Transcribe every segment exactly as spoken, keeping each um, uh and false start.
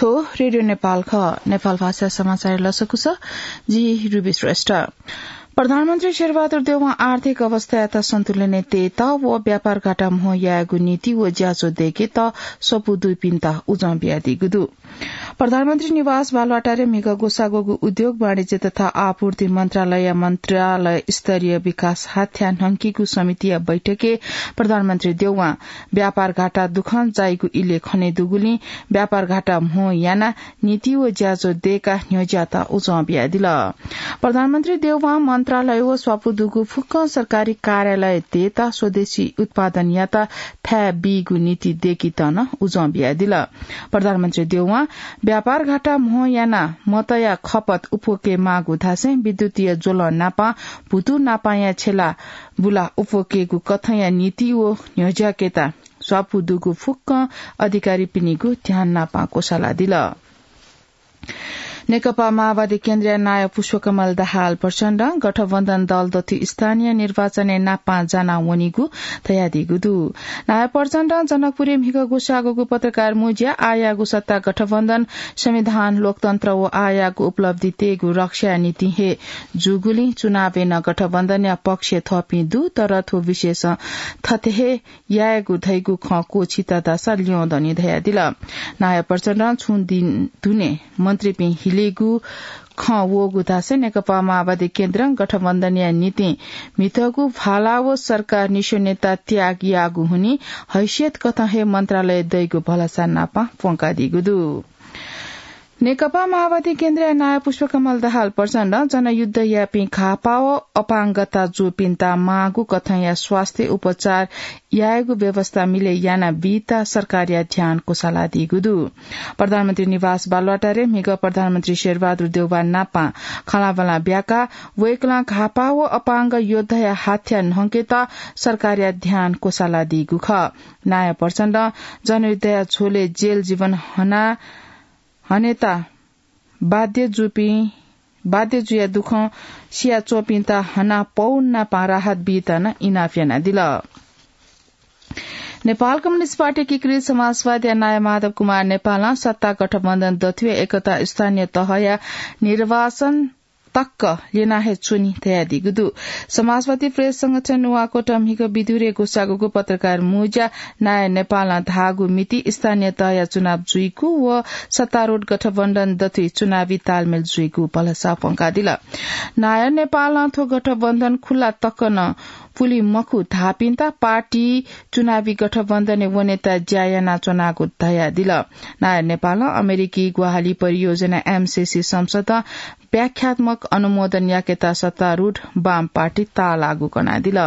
रेडियो नेपाल खः। नेपाल भाषा समाचार लसकुस, जि रुबी श्रेष्ठ। प्रधानमन्त्री शेरबहादुर देउवां आर्थिक अवस्थायात सन्तुलनय् तयेत व व्यापार घाटा म्हो यायेगु नीति व ज्याझ्वः दय्केत स्वापू दुपिन्त उजं बियादीगु दु। प्रधानमन्त्री निवास बालुवाटारय् म्हिगः ग्वसाः ग्वःगु उद्योग, वाणिज्य तथा आपूर्ति मन्त्रालय, मन्त्रालय स्तरीय विकास हाथ्या न्हंकीगु समितिया बैठकय् प्रधानमन्त्री देउवां व्यापार घाटा दुखं जाइगु इलय् खने दुगुलिं व्यापार घाटा म्हो यानाः नीति व ज्याझ्वः दय्काः न्ह्यज्यात उजं बियादिल। प्रधानमन्त्री देउवां मन्त्रालय व स्वापू दुगु फुक्कं सरकारी कार्यालयतय्त स्वदेशी उत्पादनयात थाय् बीगु नीति दय्केत नं उजं बियादिल। प्रधानमन्त्री देउवां व्यापार घाटा म्हो यानाः मतया खपत उप्वके माःगु धासें विद्युतीय ज्वलं नापं भुतू नापंया छेला बुला उप्वकेगु कथंया नीति व न्ह्यज्याकेत स्वापू दुगु फुक्कं अधिकारीपिनिगु ध्यान नापं क्वसालादिल। नेकपा माओवादी केन्द्रया नायः पुष्पकमल दाहाल प्रचण्डं गठबन्धन दल दथुइ स्थानीय निर्वाचनय् नापं जाना वनीगु धयादीगु दु। नायः प्रचण्डं जनकपुरय् म्हिगः ग्वसाः ग्वःगु पत्रकार मुँज्याय् आःयागु सत्ता गठबन्धन, संविधान, लोकतन्त्र व आःयागु उपलब्धि तयेगु रक्षाया निंतिं हे जूगुलिं चुनावय् नं गठबन्धनया पक्षय् थःपिं दु, तर थ्व विषयसं थथे हे यायेगु धइगु खँ क्वःछित धाःसा ल्यं दनि धयादिल। नायः प्रचण्डं छुं दिन दुने मन्त्रीपिं हिलेगु खँ वःगु धासें नेकपा माओवादी केन्द्रं गठबन्धनया निंतिं म्हितःगु भाला व सरकार निस्वनेत त्याग याःगु हुनिं हैसियत कथं हे मन्त्रालय दइगु भलसा नापं प्वंकादीगु दु। नेकपा माओवादी केन्द्रया नायः पुष्पकमल दाहाल प्रचण्डं जनयुद्ध याःपिं घाःपाः व अपाङ्गता जूपिन्त माःगु कथंया स्वास्थ्य उपचार यायेगु व्यवस्था मिलय् याना बीत सरकारया ध्यान क्वसालादीगु दु। प्रधानमन्त्री निवास बालुवाटारय् म्हिगः प्रधानमन्त्री शेरबहादुर देउवा नापं खँल्हाबल्हा ब्याकाः वय्कलं घाःपाः व अपाङ्ग योद्धाया हाथ्या न्हंकेत सरकारया ध्यान क्वसालादीगु खः। नायः प्रचण्डं जनयुद्धया झ्वलय् जेल जीवन हना हनेत बाध्य जुपिं, बाध्य जुया दुखं सियाच्वंपिन्त हना पौ नापं राहत बीत नं इनाप यानादिल। नेपाल कम्युनिस्ट पार्टी एकीकृत समाजवादीया नायः माधव कुमार नेपालं सत्ता गठबन्धन दथुइ एकता स्थानीय तहया निर्वाचन तक्क ल्यना हे च्वनी धयादीगु दु। समाजवादी प्रेस संगठन नुवाकोटं म्हिगः बिदुरे ग्वसाः ग्वःगु पत्रकार मुँज्याय् नायः नेपालं धाःगु मिति स्थानीय तहया चुनाव जुइगु व सत्तारूढ गठबन्धन दथुइ चुनावी तालमेल जुइगु भलसा प्वंकादिल। नायः नेपालं थ्व गठबन्धन खुला तक नं पुली मखु धाःपिन्त पार्टी चुनावी गठबन्धनय् वनेत ज्या यानाच्वनागु धयादिल। नायः नेपालं अमेरिकी ग्वाहालि परियोजना एमसिसी संसदं व्याख्यात्मक अनुमोदन याकेत सत्तारूढ वाम पार्टी ताःलाःगु कनादिल।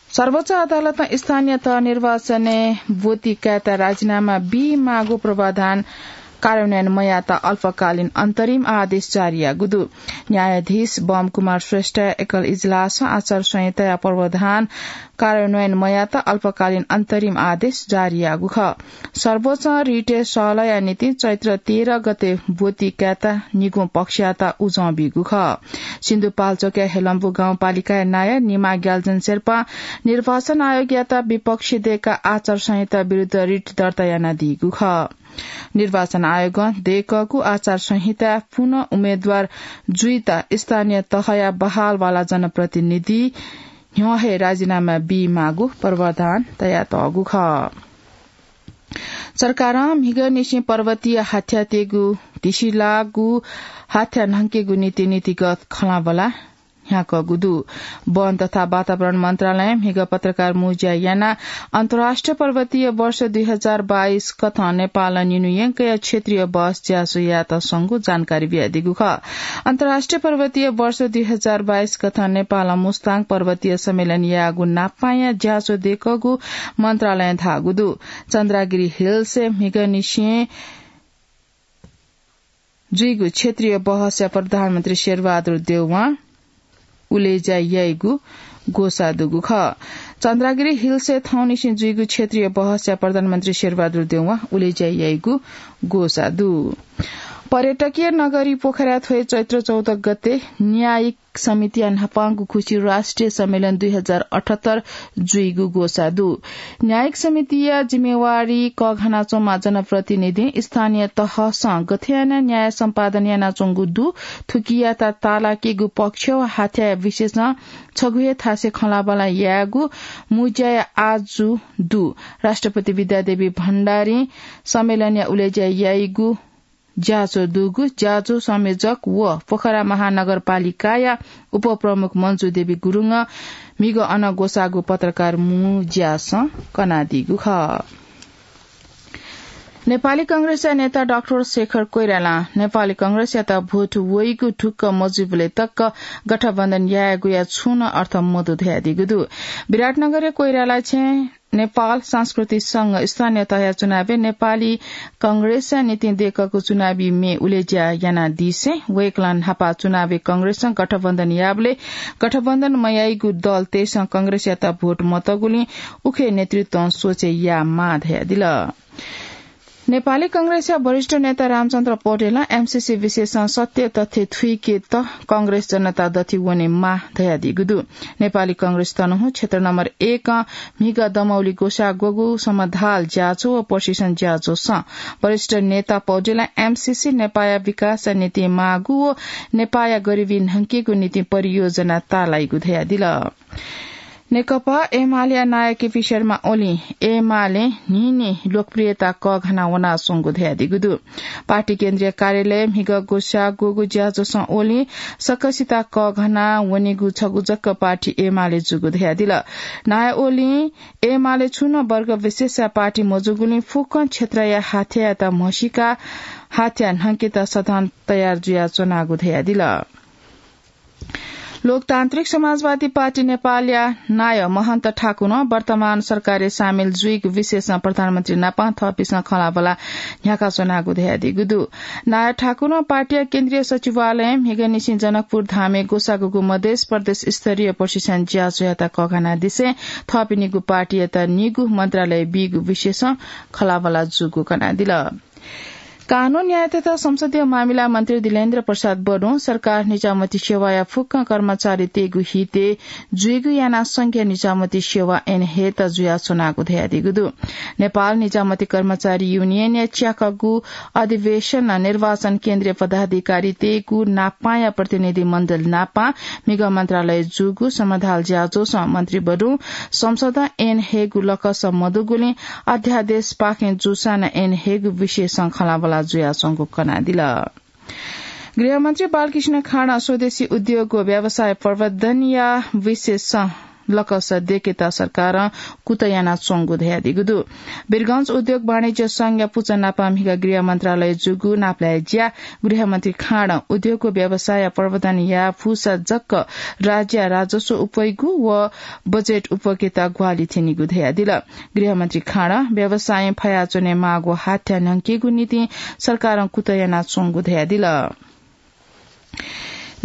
सर्वोच्च अदालतं स्थानीय तह निर्वाचनय् ब्वति कायेत राजीनामा बीमाःगु पूर्वाधान कार्यान्वयन मयायेत अल्पकालीन अन्तरिम आदेश जारी याःगु दु। न्यायाधीश बम कुमार श्रेष्ठया एकल इजलासं आचार संहिताया पूर्वाधान कार्यान्वयन मयायेत अल्पकालीन अन्तरिम आदेश जारी याःगु खः। सर्वोच्च रिटय् सहलहया निंतिं चैत्र तेह्र गते ब्वति कायेत निगू पक्षयात उजं बीगु खः। सिन्धुपाल्चोकया हेलम्बु गाउँपालिकाया नायः निमा ग्याल्जन शेर्पां निर्वाचन आयोगयात विपक्षी दय्काः आचार संहिता विरुद्ध रिट दर्ता यानादीगु खः। निर्वाचन आयोगं दय्कःगु आचार संहिताय् पुनः उम्मेद्वार जुइत स्थानीय तहया बहालवाला जनप्रतिनिधि न्ह्यः हे राजीनामा बीमाःगु प्रावधान तयातःगु खः। सरकारं म्हिगःनिसें पर्वतीय हाथ्यातय्गु धिसिलाःगु हाथ्या न्हंकेगु निंतिं नीतिगत खँल्हाबल्हा न्ह्याकूगु दु। वन तथा वातावरण मन्त्रालयं म्हिगः पत्रकार मुँज्या यानाः अन्तर्राष्ट्रिय पर्वतीय वर्ष दुई हजार बाइस कथं नेपालं निन्हु यंकया क्षेत्रीय बहस ज्याझ्वः यायेत संगु जानकारी बियादीगु खः। अन्तर्राष्ट्रिय पर्वतीय वर्ष दुई हजार बाइस कथं नेपालं मुस्ताङ पर्वतीय सम्मेलन याःगु नापांया ज्याझ्वः दय्कूगु मन्त्रालयं धाःगु दु। चन्द्रागिरी हिल्सय् म्हिगःनिसें जुइगु क्षेत्रीय बहसय् प्रधानमन्त्री शेरबहादुर देउवां उलेज्या याइगु ग्वसाः दुगु खः। चन्द्रागिरी हिल्सय् थौंनिसें जुइगु क्षेत्रीय बहसय् प्रधानमन्त्री शेरबहादुर देउवां उलेज्या याइगु ग्वसाः दु। पर्यटकीय नगरी पोखरा थ्वय् चैत्र चौध गते न्यायिक समितिया न्हापांगु खुसी राष्ट्रिय सम्मेलन दुई हजार अठहत्तर जुइगु ग्वसाः दु। न्यायिक समितिया जिम्मेवारी कःघानाच्वंम्ह जनप्रतिनिधिं स्थानीय तहसं गथे यानाः न्याय सम्पादन यानाच्वंगु दु, थुकियात तालाकेगु पक्ष व हाथ्याया विषयसं छगू हे थासय् खँल्हाबल्हा यायेगु मुँज्याया आजु दु। राष्ट्रपति विद्यादेवी भण्डारीं सम्मेलनया उलेज्या याइगु ज्याझ्वः दुगु ज्याझ्वः संयोजक व पोखरा महानगरपालिकाया उपप्रमुख मन्जु देवी गुरुङं म्हिगः अन ग्वसाःगु पत्रकार मुँज्यासं कनादीगु खः। नेपाली कांग्रेसया नेता डाक्टर शेखर कोइरालां नेपाली कांग्रेसयात भोट वइगु ढुक्क मजुइबलय् तक गठबन्धन यायेगुया छुं नं अर्थ मदु धयादीगु दु। विराटनगरया कोइराला छेँ नेपाल सांस्कृतिक संघ स्थानीय तहया चुनावय् नेपाली कांग्रेसया निंतिं दय्कःगु चुनावी म्ये उलेज्या यानादिसें वय्कलं न्हापा चुनावय् कांग्रेसं गठबन्धन याःबलय् गठबन्धन मयाइगु दलतय्सं कांग्रेसयात भोट मतःगुलिं उखे नेतृत्वं सोचे यायेमाः धयादिल। नेपाली कांग्रेसया वरिष्ठ नेता रामचन्द्र पौडेलं एमसीसी विषयसं सत्य तथ्य थुइकेत कांग्रेस जनता दथि वनेमाः धयादीगु दु। नेपाली कांग्रेस तनहुँ क्षेत्र नम्बर एकं म्हिगः दमौली ग्वसाः ग्वःगु समधाल ज्याझ्वः व प्रशिक्षण ज्याझ्वःसं वरिष्ठ नेता पौडेलं एमसीसी नेपाःया विकासया निंतिं माःगु व नेपाःया गरिबी न्हंकेगु निंतिं परियोजना ताःलाइगु धयादिल। नेकपा एमालेया नायः केपी शर्मा ओलीं एमालें न्हिं न्हिं लोकप्रियता कःघाना वनाच्वंगु धयादीगु दु। पार्टी केन्द्रीय कार्यालयय् म्हिगः ग्वसाः ग्वःगु ज्याझ्वःसं ओलीं सकसित कःघाना वनीगु छगू जक पार्टी एमाले जूगु धयादिल। नायः ओलीं एमाले छुं नं वर्ग विशेषया पार्टी मजूगुलिं फुक्कं क्षेत्रया हाथ्यायात म्हसीकाः हाथ्या न्हंकेत सदन तयार जुयाच्वनागु धयादिल। लोकतान्त्रिक समाजवादी पार्टी नेपालया नायः महन्त ठाकुरं वर्तमान सरकारय् सामेल जुइगु विषयसं प्रधानमन्त्री नापं थःपिन्सं खँल्हाबल्हा न्ह्याकाच्वनागु धयादीगु दु। नायः ठाकुरं पार्टीया केन्द्रीय सचिवालयं म्हिगःनिसें जनकपुर धामय् ग्वसाः ग्वःगु मधेस प्रदेश स्तरीय प्रशिक्षण ज्याझ्वःयात कःघानादिसें थःपिनिगु पार्टीयात निगू मन्त्रालय बीगु विषयसं खँल्हाबल्हा जूगु कनादिल। कानून न्याय तथा संसदीय मामिला मन्त्री दिलेन्द्र प्रसाद बडुं सरकार निजामती सेवाया फुक्क कर्मचारीतय्गु हितय् जुइगु यानाः संघीय निजामती सेवा ऐन हयेत जुयाच्वनागु धयादीगु दु। नेपाल निजामती कर्मचारी युनियनया च्याकःगु अधिवेशनं निर्वाचन केन्द्रीय पदाधिकारीतय्गु नापांया प्रतिनिधि मण्डल नापां म्हिगः मन्त्रालय जूगु समधाल ज्याझ्वःसं मन्त्री बडुं संसदं ऐन हयेगु लकस मदुगुलिं अध्यादेशपाखें जूसां नं ऐन हयेगु विषयसं खँल्हाबल्हा जुयाच्वंगु कनादिल। गृहमन्त्री बालकृष्ण खाँडं स्वदेशी उद्योग व व्यवसाय प्रवर्धनया विषयसं लकस दय्केत सरकारं कुतः यानाच्वंगु धयादीगु दु। वीरगंज उद्योग वाणिज्य संघया पुचः नापं म्हिगः गृह मन्त्रालय जूगु नापलाये ज्या गृहमन्त्री खाँडं उद्योग व व्यवसाय प्रवर्धन याये फुसा जक राज्यया राजस्व उप्वइगु व बजेट उप्वकेत ग्वाहालि थ्यनीगु धयादिल। गृहमन्त्री खाँडं व्यवसायं फयाच्वने माःगु हाथ्या न्हंकेगु निंतिं सरकारं कुतः यानाच्वंगु धयादिल।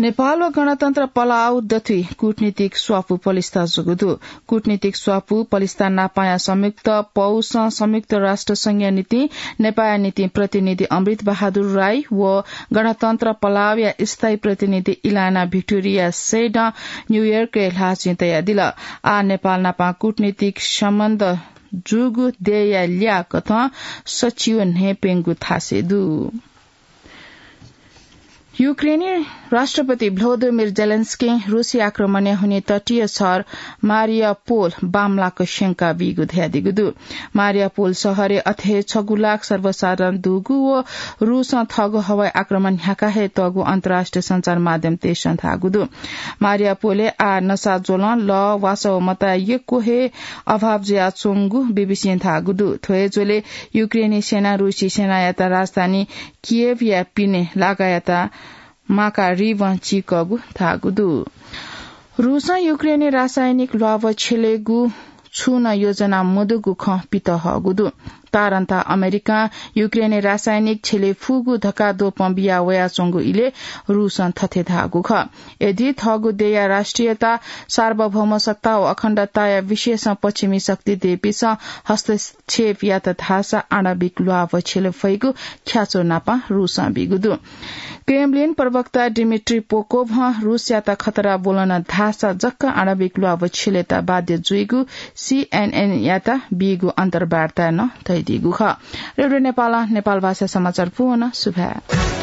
नेपाल व गणतन्त्र पलाउ दथुइ कूटनीतिक स्वापू पलिस्था जूगु दु। कूटनीतिक स्वापू पलिस्था नापांया संयुक्त पौसं संयुक्त राष्ट्र संघया निंतिं नेपाःया निंतिं प्रतिनिधि अमृत बहादुर राई व गणतन्त्र पलाउया स्थायी प्रतिनिधि इलाना भिक्टोरिया सेडं न्यूयोर्कय् ल्हाःचिं तयादिल। आः नेपाल नापं कूटनीतिक सम्बन्ध जूगु देय्या ल्याः कथं सच्छि व न्हय्प्यंगु थासय् दु। युक्रेनी राष्ट्रपति भ्लोदिमिर जेलेन्स्कीं रुसी आक्रमणय् हुनिं तटीय शहर मारियापोल बांमलाक स्यंका बीगु धयादीगु दु। मारियापोल शहरय् अथे हे छगू लाख सर्वसाधारण दुगु व रुसं थःगु हवाई आक्रमण न्ह्याका हे तःगु अन्तर्राष्ट्रिय सञ्चार माध्यमतय्सं धाःगु दु। मारियापोलय् आः नसा ज्वलं, लः, वासः व मताःया यक्व हे अभाव जुयाच्वंगु बीबीसीं धाःगु दु। थ्व हे झ्वलय् युक्रेनी सेनां रुसी सेनायात राजधानी कियेवया पिने लागायात माकारिभं चीकःगु धाःगु दु। रुसं युक्रेनय् रासायनिक ल्वाभः छ्यलेगु छुं नं योजना मदुगु खँ पित हःगु दु। तारन्ता अमेरिकां युक्रेनय् रासायनिक छ्यले फुगु धकाः द्वपं बिया वयाच्वंगु इलय् रूसं थथे धाःगु खः। यदि थःगु देय्‌या राष्ट्रियता, सार्वभौम सत्ता व अखण्डताया विषयसं पश्चिमी शक्ति देपिसं हस्तक्षेप यात धाःसा आणविक ल्वाः व छ्यले फइगु ख्याचो नापं रूसं बीगु दु। क्रेमलिन प्रवक्ता डिमिट्री पोकोभं रूसयात खतरा ब्वलन धाःसा जक्क आणविक ल्वाः व छ्यलेत बाध्य जुइगु सीएनएनयात बीगु अन्तर्वार्ताय् नं धयादीगु खः। रेडियो नेपालं नेपाल भाषा समाचार पूवन सुभाय्।